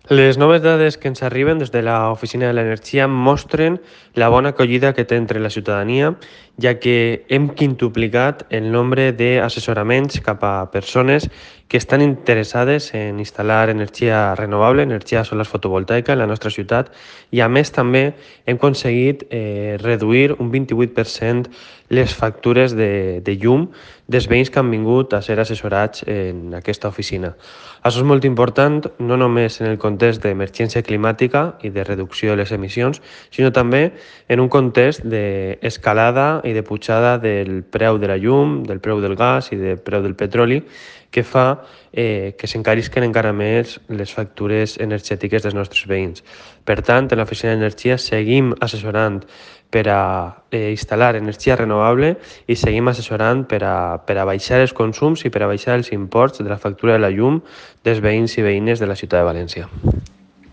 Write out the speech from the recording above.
Les noves dades que ens arriben des de l'Oficina de l'Energia mostren la bona acollida que té entre la ciutadania, ja que hem quintuplicat el nombre d'assessoraments cap a persones que estan interessades en instal·lar energia renovable, energia solar fotovoltaica en la nostra ciutat, i a més també hem aconseguit reduir un 28% les factures de llum dels veïns que han vingut a ser assessorats en aquesta oficina. Això és molt important, no només en el context d'emergència climàtica i de reducció de les emissions, sinó també en un context d'escalada i de pujada del preu de la llum, del preu del gas i del preu del petroli, que fa que s'encarisquen encara més les factures energètiques dels nostres veïns. Per tant, en l'Oficina d'Energia seguim assessorant per a instal·lar energia renovable i seguim assessorant per a baixar els consums i per a baixar els imports de la factura de la llum dels veïns i veïnes de la ciutat de València.